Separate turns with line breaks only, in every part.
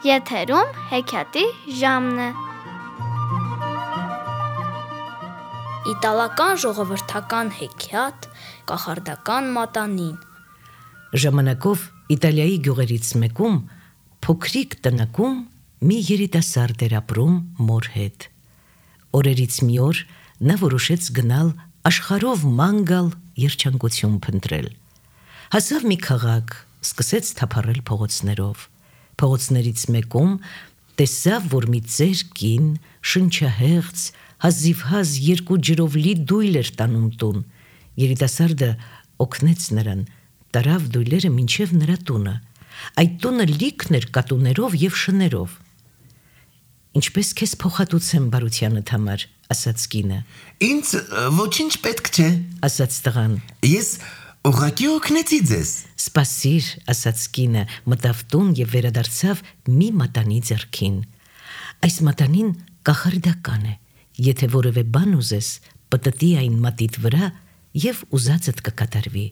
Եթերում հեքիաթի ժամն է։
Իտալական ժողովրդական հեքիաթ կախարդական մատանին։
Ժամանակով Իտալիայի գյուղերից մեկում փոքրիկ տնակում մի երիտասարդ էր ապրում մոր հետ։ Օրերից մի օր նա որոշեց գնալ աշխարհով ման գալ երջանկություն փնտրել։ Հասավ մի քաղաք, սկսեց թափառել փողոցներով։ Փողոցներից մեկում տեսավ, որ մի ծեր կին, շնչահեղձ, հազիվհազ 2 ջրով լի դույլ էր տանում տուն։ Երիտասարդը օգնեց նրան, տարավ դույլերը մինչև նրա տունը։ Այդ տունը լիքն էր կատուներով և շներով։ «Ինչպես քեզ փոխհատուցեմ բարությանդ համար», ասաց կինը։
Ինձ ոչինչ պետք չէ,
ասաց տղան։
Ես ուղղակի օգնեցի ձեզ։
Սպասիր, ասաց կինը, մտավ տուն և վերադարձավ մի մատանի ձեռքին։ Այս մատանին կախարդական է։ Եթե որևէ բան ուզես, պտտի այն մատիդ վրա և ուզածդ կկատարվի։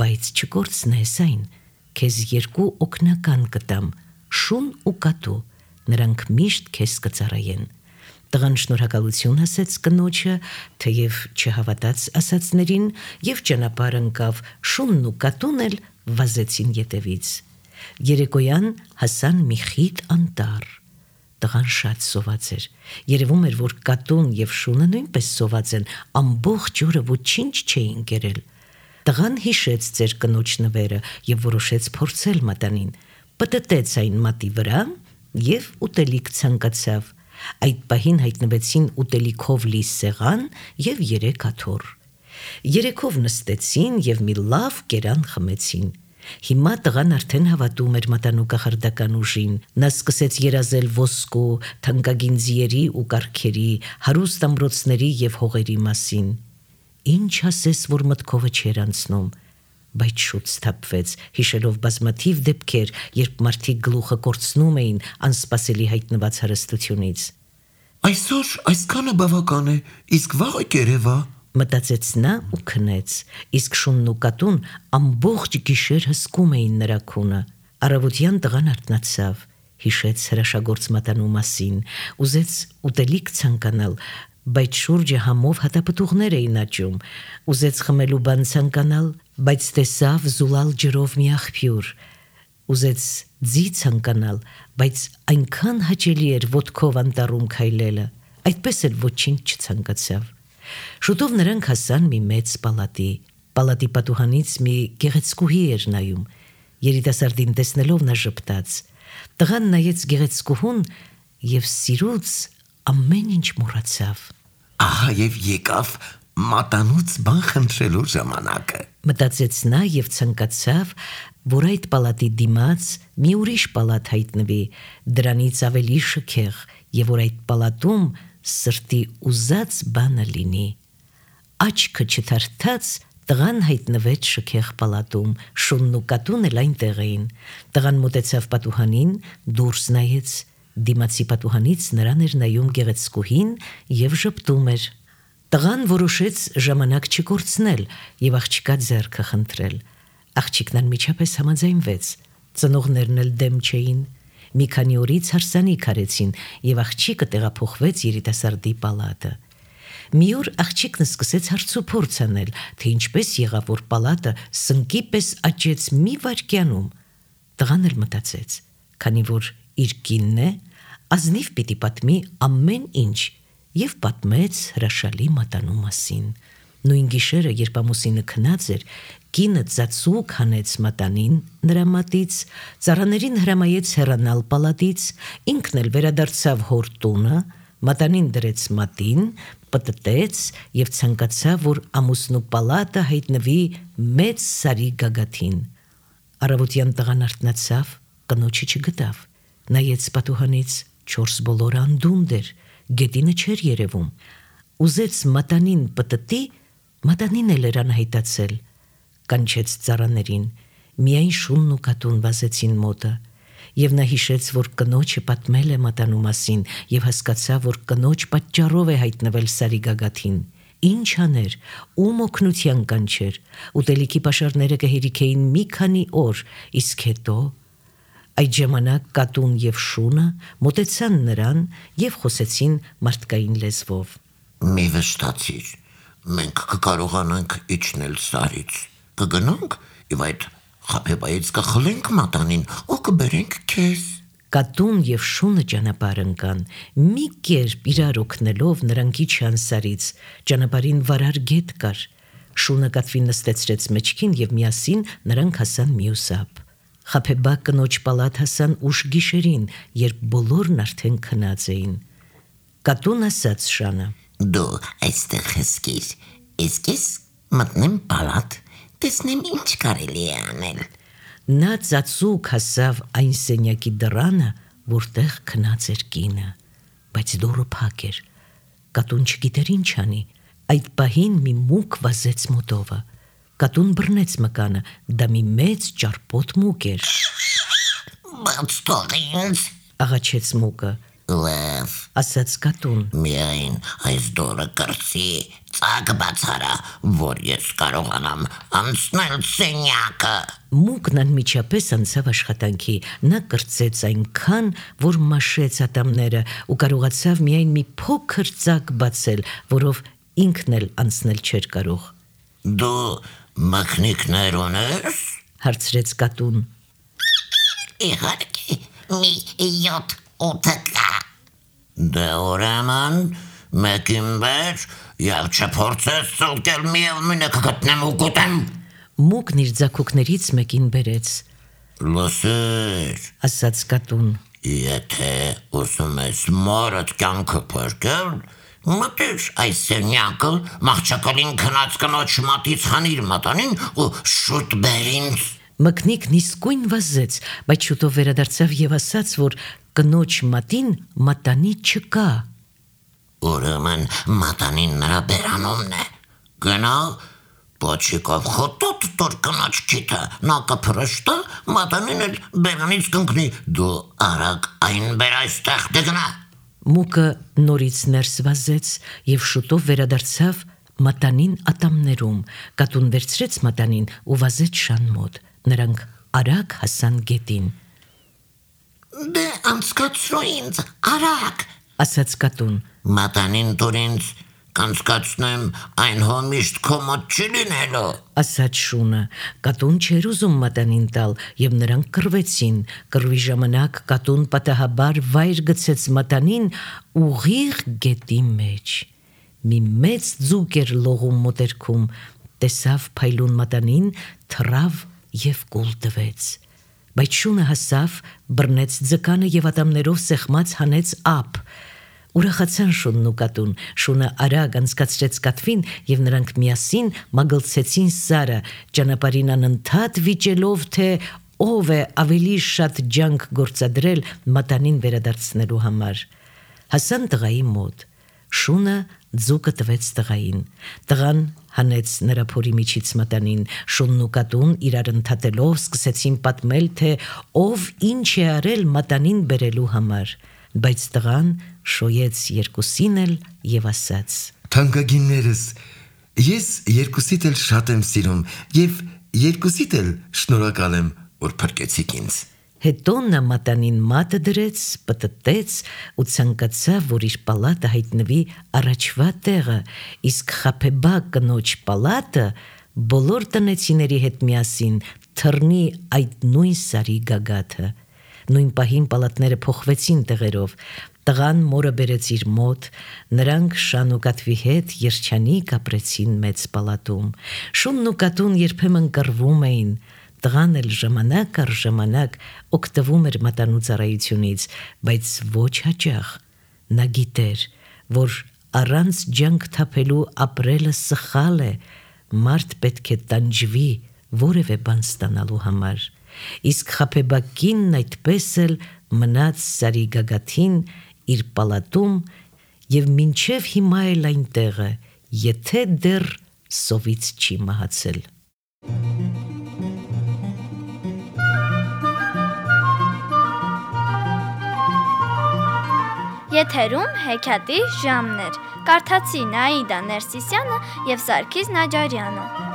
Բայց չկորցնես այն, քեզ 2 օգնական կտամ, շուն ու կատու, նրանք միշտ քեզ կծառայեն։ Տղան շնորհակալություն ասեց կնոջը, թեև չհավատաց ասածներին, և ճանապարհ ընկավ, շունն ու կատուն էլ վազեցին ետևից։ Երեկոյան հասան մի խիտ անտառ։ Տղան շատ սոված էր։ Երևում էր, որ կատուն և շունը նույնպես սոված են, ամբողջ օրը ոչինչ չէին կերել։ Տղան հիշեց ծեր կնոջ նվերը և որոշեց փորձել մատանին։ Պտտեց այն մատի վրա և ուտելիք ցանկացավ։ Այդ պահին հայտնվեցին ուտելիքով լի սեղան և 3 աթոռ։ Երեքով նստեցին և մի լավ կերան խմեցին։ Հիմա տղան արդեն հավատում էր մատանու կախարդական ուժին։ Նա սկսեց երազել ոսկու, թանկագին ձիերի ու կառքերի, հարուստ ամրոցների և հողերի մասին։ Ինչ ասես, որ մտքովը չէր անցնում, բայց շուտ սթափվեց, հիշելով բազմաթիվ դեպքեր, երբ մարդիկ գլուխը կորցնում էին անսպասելի հայտնված հարստությունից։
Այսօր այսքանը բավական է, իսկ վաղը կերևա,
մտածեց նա ու քնեց, իսկ շունն ու կատուն ամբողջ գիշեր հսկում էին նրա քունը։ Առավոտյան տղան արթնացավ, հիշեց հրաշագործ մատանու մասին, ուզեց ուտելիք ցանկանալ, բայց շուրջը համով հատապտուղներ էին աճում, ուզեց խմելու բան ցանկանալ, բայց տեսավ զուլալ ջրով մի աղբյուր, ուզեց ձի ցանկանալ, բայց այնքան հաճելի էր ոտքով անտառում քայլելը, այդպես էլ ոչինչ չցանկացավ։ Շուտով նրանք հասան մի մեծ պալատի։ Պալատի պատուհանից մի գեղեցկուհի էր նայում։ Երիտասարդին տեսնելով նա ժպտաց։ Տղան նայեց գեղեցկուհուն և սիրուց ամեն ինչ մոռացավ։
Ահա և եկավ մատանուց բան խնդրելու ժամանակը,
մտածեց նա և ցանկացավ, որ այդ պալատի դիմաց մի ուրիշ պալատ հայտնվի, դրանից ավելի շքեղ, և որ այդ պալատում սրտի ուզած բանը լինի։ Աչքը չթարթած տղան հայտնվեց շքեղ պալատում, շունն ու կատուն էլ այնտեղ էին։ Տղան մոտեցավ պատուհանին, դուրս նայեց, դիմացի պատուհանից նրան էր նայում գեղեցկուհին և ժպտում էր։ Տղան որոշեց ժամանակ չկորցնել և աղջկա ձեռքը խնդրել։ Աղջիկն անմիջապես համաձայնվեց, ծնողներն էլ դեմ չէին։ Մի քանի օրից հարսանիք արեցին և աղջիկը տեղափոխվեց երիտասարդի պալատը։ Մի օր աղջիկն սկսեց հարցուփորձ անել, թե ինչպես եղավ, որ պալատը սնկի պես աճեց մի վայրկյանում։ Տղան էլ մտածեց, քանի որ իր կինն է, ազնիվ պիտի պատմի ամեն ինչ և պատմեց հրաշալի մատանու մասին։ Նույն գիշերը, երբ ամուսինը քնած էր, կինը ծածուկ հանեց մատանին նրա մատից, ծառաներին հրամայեց հեռանալ պալատից, ինքն էլ վերադարձավ հոր տունը, մատանին դրեց մատին, պտտեց և ցանկացավ, որ ամուսնու պալատը հայտնվի մեծ սարի գագաթին։ Առավոտյան տղան արթնացավ, կնոջը չգտավ։ Նայեց պատուհանից, 4 բոլորը անդունդ էր, գետինը չէր երևում։ Ուզեց մատանին պտտի, մատանին էլ էր անհայտացել։ Կանչեց ծառաներին, միայն շունն ու կատուն վազեցին մոտը։ Եվ նա հիշեց, որ կնոջը պատմել է մատանու մասին և հասկացավ, որ կնոջ պատճառով է հայտնվել սարի գագաթին։ Ինչ աներ, ում օգնության կանչեր, ուտելիքի պաշարները կհերիքեին մի քանի օր, իսկ հետո Այդ ժամանակ կատուն եւ շունը մոտեցան նրան եւ խոսեցին մարդկային լեզվով.
Մի վշտացիր, մենք կկարողանանք իջնել սարից, կգնանք եւ այդ խաբեբայից կխլենք մատանին ու կբերենք քեզ։
Կատուն եւ շունը ճանապարհ ընկան, մի կերպ իրար օգնելով նրանք իջան սարից, ճանապարհին վարար գետ կար, շունը կատվին նստեցրեց մեջքին եւ միասին նրանք հասան մյուս ափ։ Խաբեբա կնոջ պալատ հասան ուշ գիշերին, երբ բոլորն արդեն քնած էին։ Կատուն ասաց շանը.
Դու այստեղ հսկիր, իսկ ես մտնեմ պալատ, տեսնեմ ինչ կարելի է անել։
Նա ծածուկ հասավ այն սենյակի դռանը, որտեղ քնած էր կինը, բայց դուռը փակ էր։ Կատուն չգիտեր ինչ անի, այդ պահին մի մուկ վազեց մոտովը։ Կատուն բռնեց մկանը, դա մի մեծ ճարպոտ մուկ էր։
Բայց թող ինձ,
Աղաչեց մուկը,
լավ,
ասաց կատուն։
միայն այս դորը կրծի, ծակ բացարա, որ ես կարողանամ անցնել սենյակը։
Մուկն անմիջապես անցավ աշխատանքի, նա կրծեց այնքան, որ մաշեց ատամները ու կարողացավ միայն մի փոքր ծակ բացել, որով ինքն էլ անցնել չէր կարող։
Դու մկնիկներ ունես։
Հարցրեց կատուն։
Իհարկե, մի 7-8 կա։ Դե ուրեմն, մեկին վեր, և չփորձես ծլկել միևնույնը կգտնեմ ու կուտեմ։
Մուկն իր ձագուկներից մեկին բերեց,
Լսիր,
ասաց կատուն։
եթե ուզում ես մորդ կյանքը փրկել, մտիր այս սենյակը, մահճակալին քնած կնոջ մատից հանիր մատանին ու շուտ բեր ինձ։
Մկնիկն իսկույն վազեց, բայց շուտով վերադարձավ եւ ասաց, որ կնոջ մատին մատանի չկա։
Ուրեմն մատանին նրա բերանումն է։ Գնա, պոչիկով խոտոտ տոր կնոջ քիթը, նա կփրշտա, մատանին էլ բերանից կընկնի, դու արագ այն բեր այստեղ դգնա։
Մուկը նորից ներս վազեց եւ շուտով վերադարձավ մատանին ատամներում։ Կատուն վերցրեց մատանին ու վազեց շան մոտ։ Նրանք արագ հասան գետին,
Դե անցկացրու ինձ, արագ,
ասաց կատուն։
մատանին տուր ինձ, կանցկացնեմ, այն հո միշտ քո մոտ չի լինելու։
Ասաց շունը, կատուն չէր ուզում մատանին տալ եւ նրանք կռվեցին։ Կռվի ժամանակ կատուն պատահաբար վայր գցեց մատանին ուղիղ գետի մեջ։ Մի մեծ ձուկ էր լողում մոտերքում, տեսավ փայլուն մատանին, թռավ եւ կուլ տվեց։ Բայց շունը հասավ, բռնեց ձկանը եւ ատամներով սեղմած հանեց ափ։ Ուրախացան շունն ու կատուն, շունը արագ անցկացրեց կատվին եւ նրանք միասին մագլցեցին սարը, ճանապարհին անընդհատ վիճելով, թե ով է ավելի շատ ջանք գործադրել մատանին վերադարձնելու համար։ Հասան տղայի մոտ։ Շունը ձուկը տվեց տղային։ Տղան հանեց նրա փորի միջից մատանին, շունն ու կատուն իրար ընդհատելով սկսեցին պատմել, թե ով ինչ է արել մատանին բերելու համար, բայց տղան շոյեց երկուսին էլ եւ ասաց.
Թանկագիններս, ես երկուսիդ էլ շատ եմ սիրում եւ երկուսիդ էլ շնորհակալ եմ, որ փրկեցիք ինձ։
Հետո նա մատանին մատը դրեց, պտտեց ու ցանկացավ, որ իր պալատը հայտնվի առաջվա տեղը, իսկ խաբեբա կնոջ պալատը բոլոր տնեցիների հետ միասին թռնի այդ նույն սարի գագաթը։ Նույն պահին պալատները փոխվեցին տեղերով։ Տղան մորը բերեց իր մոտ, նրանք շան ու կատվի հետ երջանիկ ապրեցին մեծ պալատում։ Շունն ու կատուն երբեմն կռվում էին։ Տղան էլ ժամանակ առ ժամանակ օգտվում էր մատանու ծառայությունից, բայց ոչ հաճախ։ Նա գիտեր, որ առանց ջանք թափելու ապրելը սխալ է, մարդ պետք է տանջվի որևէ բան ստանալու համար։ Իսկ խաբեբա կինն այդպես էլ մնաց սարի գագաթին իր պալատում եւ մինչեւ հիմա էլ այնտեղ է, եթե դեռ սովից չի մահացել։
Եթերում հեքիաթի ժամն էր։ Կարդացի Նաիդա Ներսիսյանը եւ Սարգիս Նաջարյանը։